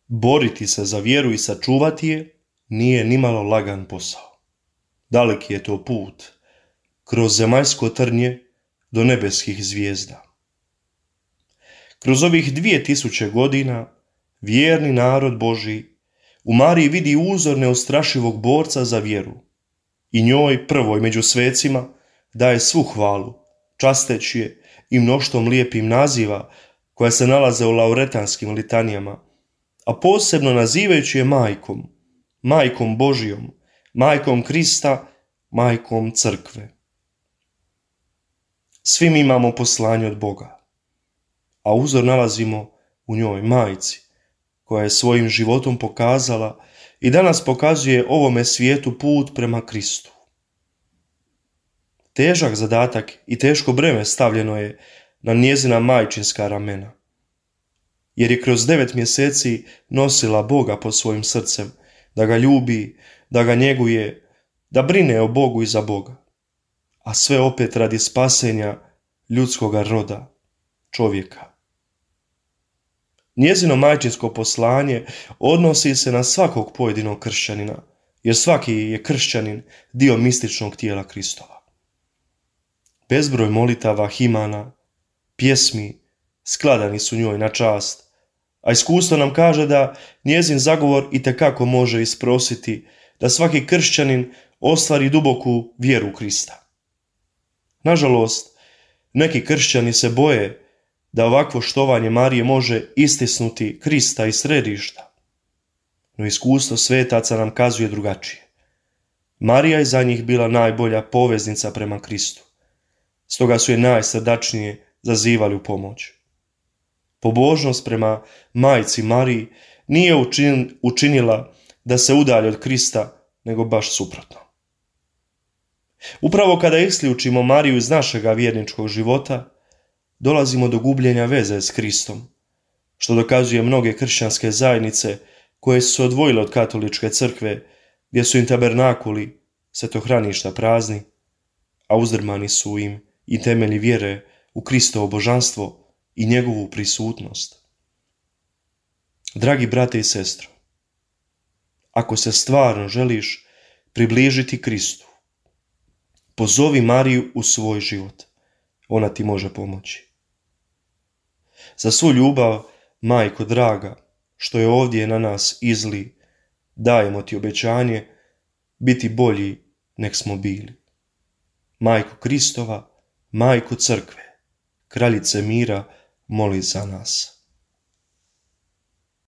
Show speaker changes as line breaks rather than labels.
Boriti se za vjeru i sačuvati je nije nimalo lagan posao. Daleki je to put, kroz zemaljsko trnje do nebeskih zvijezda. Kroz ovih 2000 godina vjerni narod Božji u Mariji vidi uzor neustrašivog borca za vjeru i njoj, prvoj među svecima, daje svu hvalu, časteći je i mnoštvom lijepim naziva koja se nalaze u lauretanskim litanijama, a posebno nazivajući je majkom, majkom Božijom, majkom Krista, majkom crkve. Svi mi imamo poslanje od Boga, a uzor nalazimo u njoj, majci, koja je svojim životom pokazala i danas pokazuje ovome svijetu put prema Kristu. Težak zadatak i teško breme stavljeno je na njezina majčinska ramena, jer je kroz 9 mjeseci nosila Boga pod svojim srcem, da ga ljubi, da ga njeguje, da brine o Bogu i za Boga, a sve opet radi spasenja ljudskoga roda, čovjeka. Njezino majčinsko poslanje odnosi se na svakog pojedinog kršćanina, jer svaki je kršćanin dio mističnog tijela Kristova. Bezbroj molitava, himana, pjesmi skladani su njoj na čast, a iskustvo nam kaže da njezin zagovor itekako može isprositi da svaki kršćanin ostvari duboku vjeru u Krista. Nažalost, neki kršćani se boje da ovakvo štovanje Marije može istisnuti Krista iz središta, no iskustvo svetaca nam kazuje drugačije. Marija je za njih bila najbolja poveznica prema Kristu, stoga su je najsrdačnije zazivali u pomoć. Pobožnost prema majci Mariji nije učinila da se udalji od Krista, nego baš suprotno. Upravo kada isključimo Mariju iz našega vjerničkog života, dolazimo do gubljenja veze s Kristom, što dokazuje mnoge kršćanske zajednice koje su se odvojile od katoličke crkve, gdje su im tabernakuli, svetohraništa prazni, a uzdrmani su im i temelji vjere u Kristovo božanstvo i njegovu prisutnost. Dragi brate i sestro, ako se stvarno želiš približiti Kristu, pozovi Mariju u svoj život, ona ti može pomoći. Za svu ljubav, majko draga, što je ovdje na nas izli, dajemo ti obećanje biti bolji nek smo bili. Majko Kristova, majko crkve, kraljice mira, moli za nas.